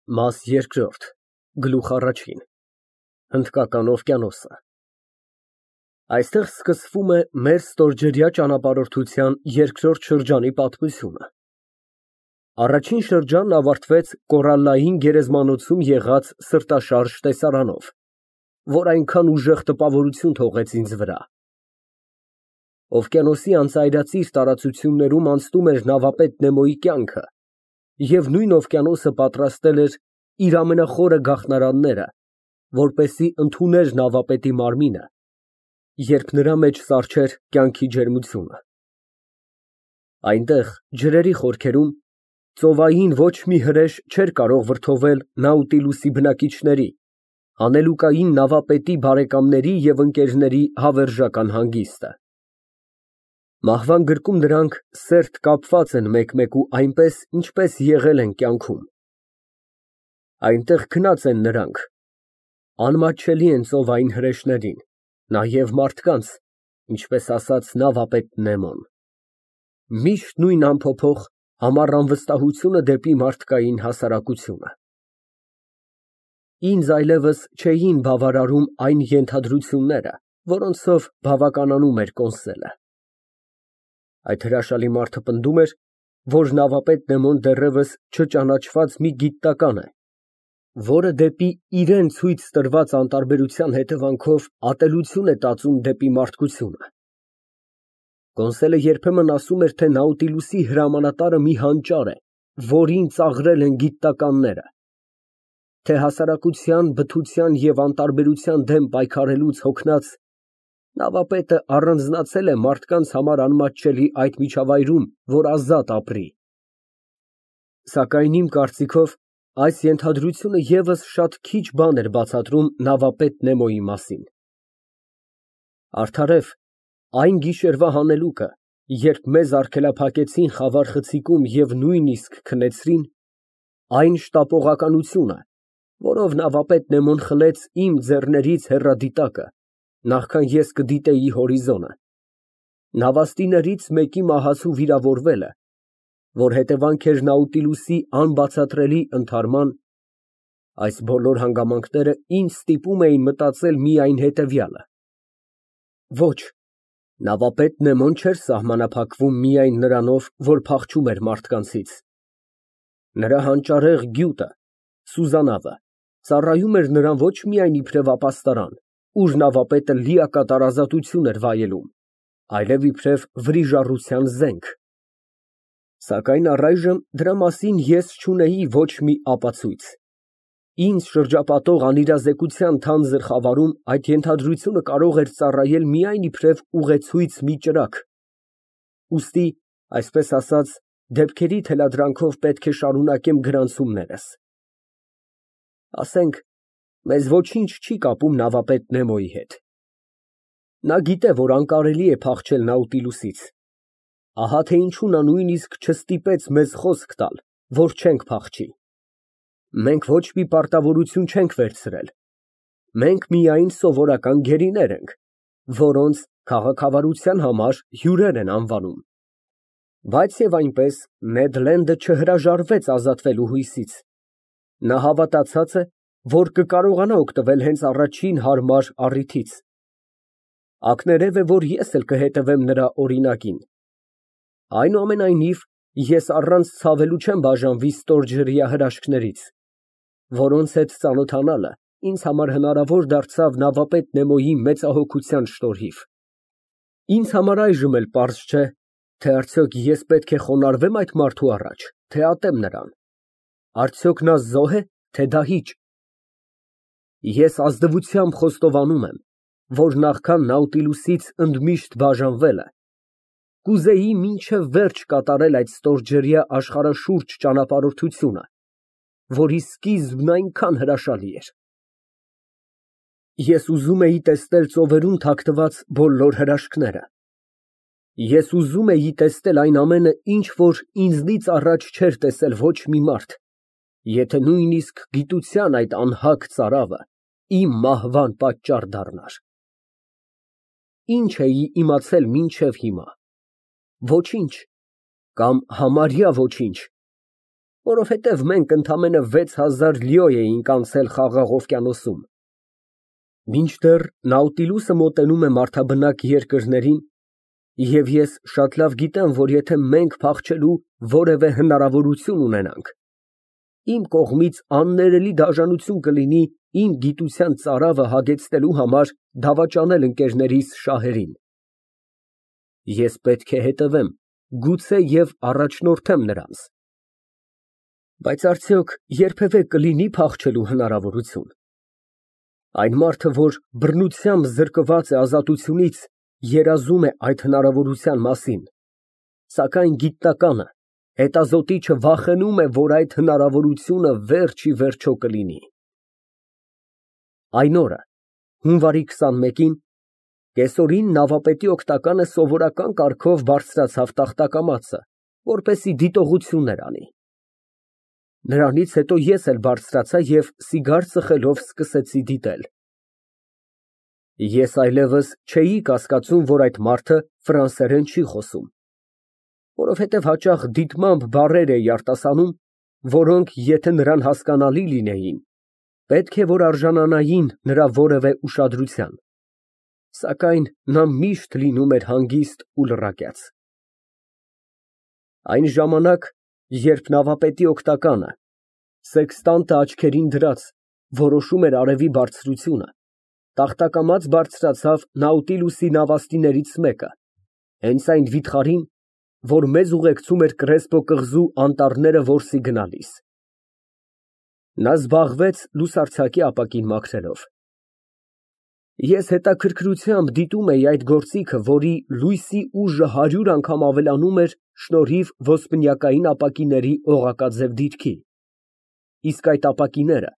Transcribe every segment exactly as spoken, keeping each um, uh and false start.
Մաս երկրորդ, գլուխ առաջին Հնդկական օվկիանոսը Այստեղ սկսվում է մեր ստորջրյա ճանապարհորդության երկրորդ շրջանի պատմությունը։ Առաջին շրջանն ավարտվեց կորալլային գերեզմանոցում եղած սրտաշարժ տեսարանով, որ այնքան ուժեղ տպավորություն թողեց ինձ վրա։ Օվկիանոսի անծայրածիր տարածություններում անցնում էր նավապետ Նեմոյի կյանքը, և նույն օվկիանոսը պատրաստել էր իր ամենախորը գաղթнаրանները, որպեսզի ընդուներ նավապետի մարմինը, երբ նրա մեջ սառչեր կյանքի ջերմությունը։ Այնտեղ, ջրերի խորքերում, ծովային ոչ մի հրեշ չէր կարող վրդովել Նաուտիլուսի բնակիչների, հանելուկային նավապետի բարեկամների և ընկերների հավերժական հանգիստը։ Մահվան գրկում նրանք սերտ կապված են մեկ֊մեկու այնպես, ինչպես եղել են կյանքում։ Այնտեղ քնած են նրանք, անմատչելի են ծովային հրեշներին, նաև մարդկանց, ինչպես ասաց նավապետ Նեմոն։ Միշտ նույն անփոփոխ, համառ անվստահությունը դեպի մարդկային հասարակությունը։ Ինձ այլևս չէին բավարարում այն ենթադրությունները, որոնցով բավականանում էր Կոնսելը։ Այդ հրաշալի մարդը պնդում էր, որ նավապետ Նեմոն դեռևս չճանաչված մի գիտնական է, որը դեպի իրան ցույց տրված անտարբերության հետևանքով ատելություն է տածում դեպի մարդկությունը։ Կոնսելը երբեմն ասում էր, թե Նաուտիլուսի հրամանատարը մի հանճար է, որին ծաղրել են գիտնականները, թե հասարակության, բթության և անտարբերության դեմ պայքարելուց հոգնած, նավապետը առանձնացել է մարդկանց համար անմատչելի այդ միջավայրում, որ ազատ ապրի։ Սակայն իմ կարծիքով, այս ենթադրությունը ևս շատ քիչ բան էր բացատրում նավապետ Նեմոյի մասին։ Արդարև, այն գիշերվա հանելուկը, երբ մեզ արգելափակեցին խավար խցիկում և նույնիսկ քնեցրին, այն շտապողականությունը, որով նավապետ Նեմոն խլեց իմ ձեռներից հեռադիտակը, նախքան ես կդիտեի հորիզոնը, նավաստիներից մեկի մահացու վիրավորվելը, որ հետևանք էր Նաուտիլուսի անբացատրելի ընդհարման, այս բոլոր հանգամանքները ինձ ստիպում էին մտածել միայն հետևյալը. ոչ, նավապետ Նեմոն չէր սահմանափակվում միայն նրանով, որ փախչում էր մարդկանցից։ Նրա հանճարեղ գյուտը, սուզանավը, ծառայում էր նրան ոչ միայն իբրև ապաստարան, ուր նավապետը լիակատար ազատություն էր վայելում, այլև իբրև վրիժառության զենք։ Սակայն առայժմ դրա մասին ես չունեի ոչ մի ապացույց։ Ինձ շրջապատող անիրազեկության թանձր խավարում այդ ենթադրությունը կարող էր ծառայել միայն իբրև ուղեցույց մի ճրագ։ Ուստի, այսպես ասած, դեպքերի թելադրանքով պետք է շարունակեմ գրանցումներս։ Ասենք, մեզ ոչինչ չի կապում նավապետ Նեմոյի հետ։ Նա գիտե, որ անկարելի է փախչել Նաուտիլուսից։ Ահա թե ինչու նա նույնիսկ չստիպեց մեզ խոսք տալ, որ չենք փախչի։ Մենք ոչ մի պարտավորություն չենք վերցրել։ Մենք միայն սովորական գերիներ ենք, որոնց քաղաքավարության համար հյուրեր են անվանում։ Բայց և այնպես, Նեդ Լենդը չհրաժարվեց ազատվելու հույսից։ Նա հավատացած է, որ կկարողանա օգտվել հենց առաջին հարմար առիթից։ Ակներև է, որ ես էլ կհետևեմ նրա օրինակին։ Այնուամենայնիվ, ես առանց ցավելու չեմ բաժանվի ստորջրյա հրաշքներից, որոնց հետ ծանոթանալը ինձ համար հնարավոր դարձավ նավապետ Նեմոյի մեծահոգության շնորհիվ։ Ինձ համար այժմ էլ պարզ չէ, թե արդյոք ես պետք է խոնարհվե՞մ այդ մարդու առաջ, թե ատեմ նրան։ Արդյոք նա զո՞հ է, թե դահիճ։ Ես ազնվությամբ խոստովանում եմ, որ նախքան Նաուտիլուսից ընդմիշտ բաժանվելը, կուզեի մինչև վերջ կատարել այդ ստորջրյա աշխարհաշուրջ ճանապարհորդությունը, որի սկիզբն այնքան հրաշալի էր։ Ես ուզում էի տեսնել ծովերում թաքնված բոլոր հրաշքները։ Ես ուզում էի տեսնել այն ամենը, ինչ որ ինձնից առաջ չէր տեսել ոչ մի մարդ, եթե նույնիսկ գիտության այդ անհագ ծարավը իմ մահվան պատճառ դառնար։ Ինչ էի իմացել մինչև հիմա։ Ոչինչ, կամ համարյա ոչինչ, որովհետև մենք ընդամենը վեց հազար լիո էինք անցել Խաղաղ օվկիանոսում։ Մինչդեռ Նաուտիլուսը մոտենում է մարդաբնակ երկրներին, և ես շատ լավ գիտեմ, որ եթե մենք փախչելու որևէ հնարավորություն ունենանք, իմ կողմից աններելի դաժանություն կլինի իմ գիտության ծարավը հագեցնելու համար դավաճանել ընկերներիս շահերին։ Ես պետք է հետևեմ, գուցե և առաջնորդեմ նրանց։ Բայց արդյոք երբևէ կլինի փախչելու հնարավորություն։ Այն մարդը, որ բռնությամբ զրկված է ազատությունից, երազում է այդ հնարավորության մասին, սակայն գիտնականը, հետազոտիչը վախենում է, որ այդ հնարավորությունը վերջ ի վերջո կլինի։ Այն օրը, հունվարի քսանմեկին, կեսօրին նավապետի օգնականը սովորական կարգով բարձրացավ տախտակամածը, որպեսզի դիտողություններ անի։ Նրանից հետո ես էլ բարձրացա և սիգար ծխելով սկսեցի դիտել։ Ես այլևս չէի կասկածում, որ այդ մարդը ֆրանսերեն չի խոսում, որովհետև հաճախ դիտմամբ բառեր էի արտասանում, որոնք, եթե նրան հասկանալի լինեին, պետք է որ արժանանային նրա որևէ ուշադրության, սակայն նա միշտ լինում էր հանգիստ ու լռակյաց։ Այն ժամանակ, երբ նավապետի օգնականը, սեքստանտը աչքերին դրած, որոշում էր արևի բարձրությունը, տախտակամաց բարձրացավ Նաուտիլուսի նավաստիներից մեկը, հենց այն վիթխարին, որ մեզ ուղեկցում էր Կրեսպո կղզու անտառները որսի գնալիս։ Նա զբաղվեց լուսարձակի ապակին մաքրելով։ Ես հետաքրքրությամբ դիտում էի այդ գործիքը, որի լույսի ուժը հարյուր անգամ ավելանում էր շնորհիվ ոսպնյակային ապակիների օղակաձև դիրքի, իսկ այդ ապակիները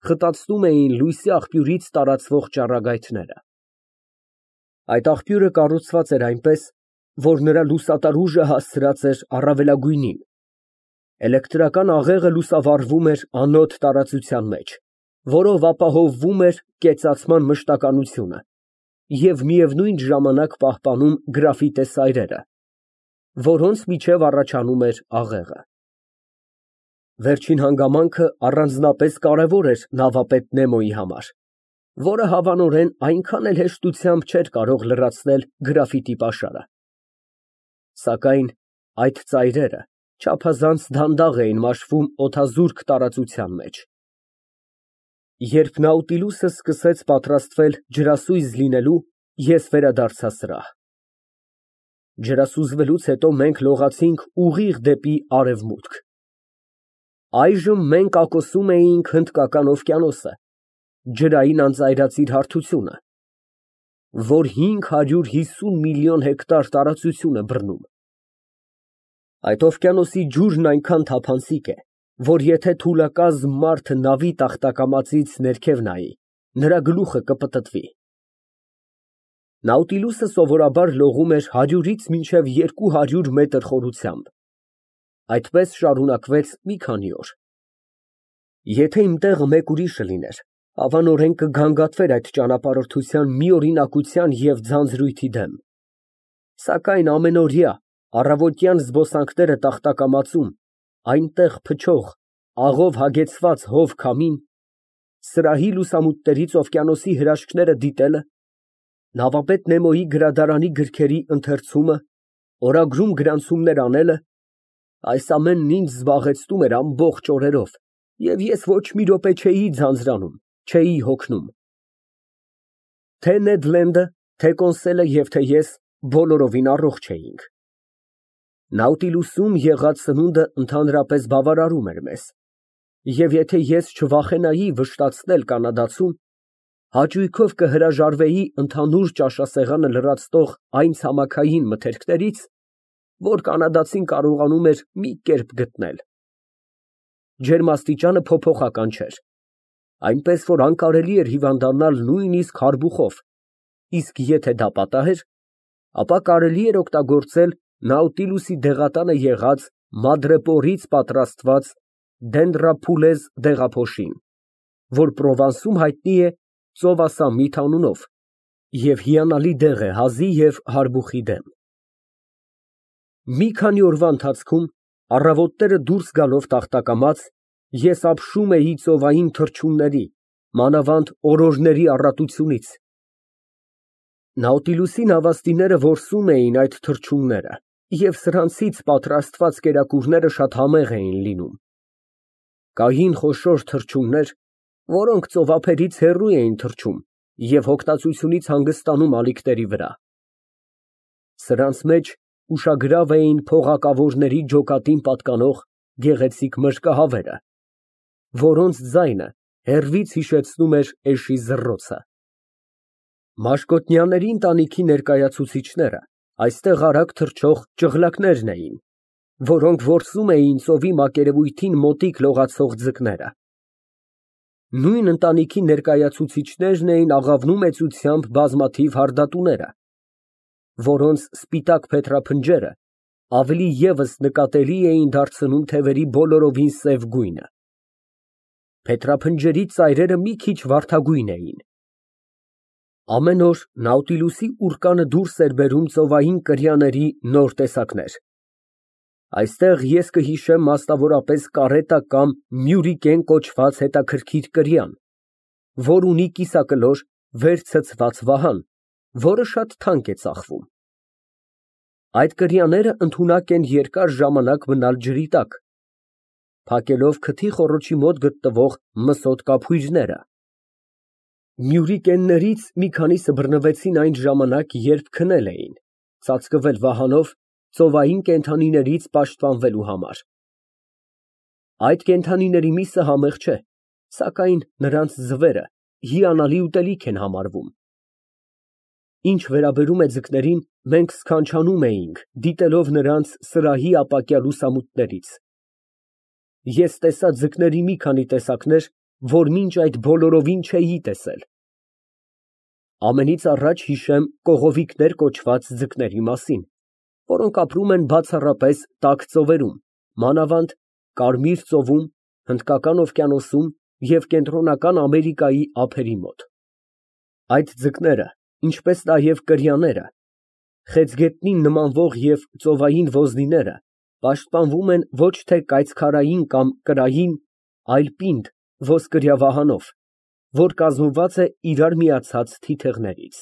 խտացնում էին լույսի աղբյուրից տարածվող ճառագայթները։ Այդ աղբյուրը կառուցված էր այնպես, որ նրա լուսատար ուժը հասցրած էր առավելագույնին, էլեկտրական աղեղը լուսավառվում էր անոտ տարածության մեջ, որով ապահովվում էր կեցացման մշտականությունը և միևնույն ժամանակ պահպանում գրաֆիտե սայրերը, որոնց միջև առաջանում էր աղեղը։ Վերջին հանգամանքը առանձնապես կարևոր էր նավապետ Նեմոյի համար, որը հավանորեն այնքան էլ հեշտությամբ չէր կարող լրացնել գրաֆիտի պաշարը։ Սակայն այդ ծայրերը չափազանց դանդաղ էին մաշվում օդազուրկ տարածության մեջ։ Երբ Նաուտիլուսը սկսեց պատրաստվել ջրասույզ լինելու, ես վերադարձա սրահ։ Ջրասուզվելուց հետո մենք լողացինք ուղիղ դեպի արևմուտք։ Այժմ մենք ակոսում էինք Հնդկական օվկիանոսը, ջրային անծայրածիր հարթությունը, որ հինգ հարյուր հիսուն միլիոն հեկտար տարածություն է բռնում։ Այդ օվկիանոսի ջուրն այնքան թափանցիկ է, որ եթե թուլակազմ մարդը նավի տախտակամածից ներքև նայի, նրա գլուխը կպտտվի։ Նաուտիլուսը սովորաբար լողում էր հարյուրից մինչև երկու հարյուր մետր խորությամբ։ Այդպես շարունակվեց մի քանի օր։ Եթե իմ տեղը մեկ ուրիշը լիներ, հավանորեն կգանգատվեր այդ ճանապարհորդության մի օրինակության և ձանձրույթի դեմ։ Սակայն ամենօրյա, առավոտյան զբոսանքները տախտակամածում, այնտեղ փչող, աղով հագեցված հով քամին, սրահի լուսամուտներից օվկիանոսի հրաշքները դիտելը, նավապետ Նեմոյի գրադարանի գրքերի ընթերցումը, օրագրում գրանցումներ անելը, այս ամենն ինձ զբաղեցնում էր ամբողջ օրերով, և ես ոչ մի րոպե չէի ձանձրանում, չէի հոգնում։ Թե Նեդ Լենդը, թե Կոնսելը և թե ես բոլորովին առողջ էինք։ Նաուտիլուսում եղած սնունդը ընդհանրապես բավարարում էր մեզ, և եթե ես չվախենայի վշտացնել կանադացում, հաճույքով կհրաժարվեի ընդհանուր ճաշասեղանը լրացնող այն ցամաքային մթերքներից, որ կանադացին կարողանում էր մի կերպ գտնել։ Ջերմաստիճանը փոփոխական չէր, այնպես որ անկարելի էր հիվանդանալ նույնիսկ հարբուխով, իսկ եթե դա պատահեր, ապա կարելի էր օգտագործել Նաուտիլուսի դեղատանը եղած մադրեպորից պատրաստված դենդրափուլեզ դեղափոշին, որ Պրովանսում հայտնի է ծովասամիտ անունով և հիանալի դեղ է հազի և հարբուխի դեմ։ Մի քանի օրվա ընթացքում Առավոտները դուրս գալով տախտակամած, ես ապշում էի ծովային թռչունների, մանավանդ օրորների առատությունից։ Նաուտիլուսի նավաստիները որսում էին այդ թռչունները, և սրանցից պատրաստված կերակուրները շատ համեղ էին լինում։ Կային խոշոր թռչուններ, որոնք ծովափերից հեռու էին թռչում և հոգտածությունից հանգստանում ալիքների վրա։ Սրանց մեջ ուշագրավ էին փողակավորների ջոկատին պատկանող գեղեցիկ մրրկահավերը, որոնց ձայնը հեռվից հիշեցնում էր էշի զռռոցը։ Մաշկոտնյաների ընտանիքի ներկայացուցիչները այստեղ արագ թռչող ճղլակներն էին, որոնք որսում էին ծովի մակերևույթին մոտիկ լողացող ձկները։ Նույն ընտանիքի ներկայացուցիչներն էին աղավնու մեծությամբ բազմաթիվ հարդատուները, որոնց սպիտակ փետրափնջերը ավելի ևս նկատելի էին դարձնում թևերի բոլորովին սև գույնը։ Փետրափնջերի ծայրերը մի քիչ վարդագույն էին։ Ամեն օր Նաուտիլուսի ուռկանը դուրս էր բերում ծովային կրյաների նոր տեսակներ։ Այստեղ ես կհիշեմ մասնավորապես կարետա կամ մյուրիկեն կոչված հետաքրքիր կրյան, որ ունի կիսակլոր վեր ցցված վահան, որը շատ թանկ է ծախվում։ Այդ կրյաները ընդունակ են երկար ժամանակ մնալ ջրի տակ, փակելով քթի խոռոչի մոտ գտնվող մսոտ կափույրները։ Մյուրիկեններից մի քանիսը բռնվեցին այն ժամանակ, երբ քնել էին, ծածկվել վահանով ծովային կենդանիներից պաշտպանվելու համար։ Այդ կենդանիների միսը համեղ չէ, սակայն նրանց ձվերը հիանալի ուտելիք են համարվում։ Ինչ վերաբերում է ձկներին, մենք սքանչանում էինք, դիտելով նրանց սրահի ապակյա լուսամուտներից։ Ես տեսա ձկների մի քանի տեսակներ, որ մինչ այդ բոլորովին չէի տեսել։ Ամենից առաջ հիշեմ կողովիկներ կոչված ձկների մասին, որոնք ապրում են բացառապես տաք ծովերում, մանավանդ Կարմիր ծովում, Հնդկական օվկիանոսում և Կենտրոնական Ամերիկայի ափերի մոտ։ Այդ ձկները, ինչպես նաև կրյաները, խեցգետնին նմանվող և ծովային ոզնիները պաշտպանվում են ոչ թե կայծքարային կամ կրային, այլ պինդ ոսկրյա վահանով, որ կազմված է իրար միացած թիթեղներից։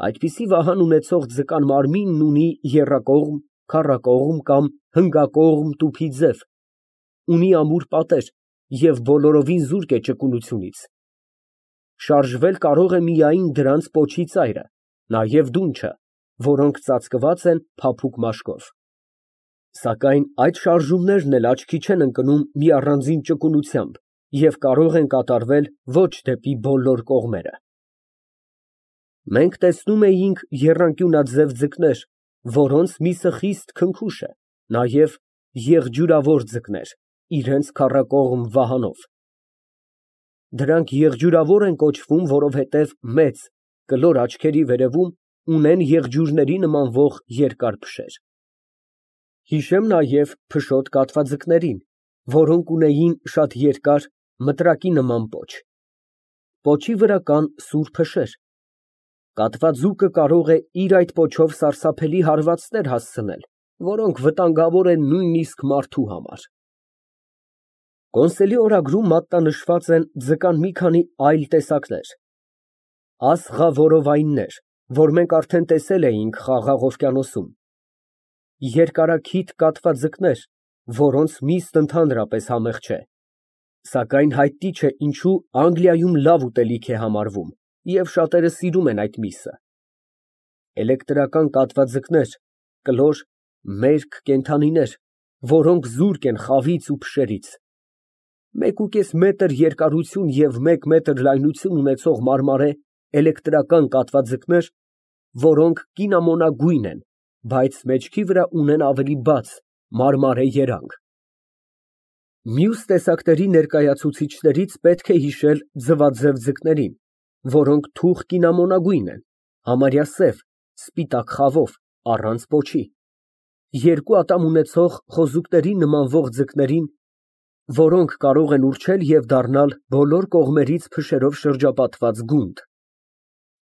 Այդպիսի վահան ունեցող ձկան մարմինն ունի եռակողմ, քառակողմ կամ հնգակողմ տուփի ձև, ունի ամուր պատեր և բոլորովին զուրկ է ճկունությունից։ Շարժվել կարող է միայն դրանց պոչի ծայրը, նաև դունչը, որոնք ծածկված են փափուկ մաշկով։ Սակայն այդ շարժումներն էլ աչքի չեն ընկնում մի առանձին ճկունությամբ և կարող են կատարվել ոչ դեպի բոլոր կողմերը։ Մենք տեսնում էինք եռանկյունաձև ձկներ, որոնց միսը խիստ քնքուշ է, նաև եղջյուրավոր ձկներ, իրենց քառակողմ վահանով։ Դրանք եղջյուրավոր են կոչվում, որովհետև մեծ, կլոր աչքերի վերևում ունեն եղջյուրների նմանվող երկար փշեր։ Հիշեմ նաև փշոտ կատվաձկներին, որոնք ունեին շատ երկար, մտրակի նման պոչ։ Պոչի վրա կան սուր փշեր։ Կատվաձուկը կարող է իր այդ պոչով սարսափելի հարվածներ հասցնել, որոնք վտանգավոր են նույնիսկ մարդու համար։ Կոնսոլի օրագրում մատնանշված են ձկան մի քանի այլ տեսակներ։ Ասղավորովայններ, որ մենք արդեն տեսել էինք Խաղաղ օվկիանոսում։ Երկարաքիթ կատվաձկներ, որոնց միսն ընդհանրապես համեղ չէ, սակայն հայտնի չէ ինչու Անգլիայում լավ ուտելիք է համարվում, և շատերը սիրում են այդ միսը։ Էլեկտրական կատվաձկներ, կլոր, մերկ կենդանիներ, որոնք զուրկ են խավից ու փշերից։ Մեկուկես մետր երկարություն և մեկ մետր լայնություն ունեցող մարմարե էլեկտրական կատվաձկներ, որոնք կինամոնագույն են, բայց մեջքի վրա ունեն ավելի բաց, մարմարե երանգ։ Մյուս տեսակների ներկայացուցիչներից պետք է հիշել ձվաձև ձկներին, որոնք թուխ կինամոնագույն են, համարյա սև, սպիտակ խավով, առանց պոչի, երկու ատամ ունեցող խոզուկների նմանվող ձկներին, որոնք կարող են ուռչել և դառնալ բոլոր կողմերից փշերով շրջապատված գունդ,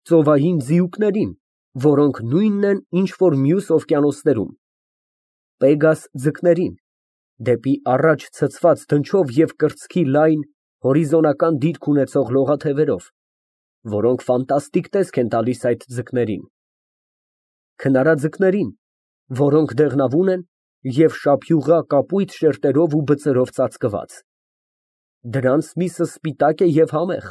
ծովային ձիուկներին, որոնք նույնն են, ինչ որ մյուս օվկիանոսներում, Պեգաս ձկներին, դեպի առաջ ցցված դնչով և կրծքի լայն, հորիզոնական դիրք ունեցող լողաթևերով, որոնք ֆանտաստիկ տեսք են տալիս այդ ձկներին, քնարաձկներին, որոնք դեղնավուն են և շափյուղա կապույտ շերտերով ու բծերով ծածկված, դրանց միսը սպիտակ է և համեղ,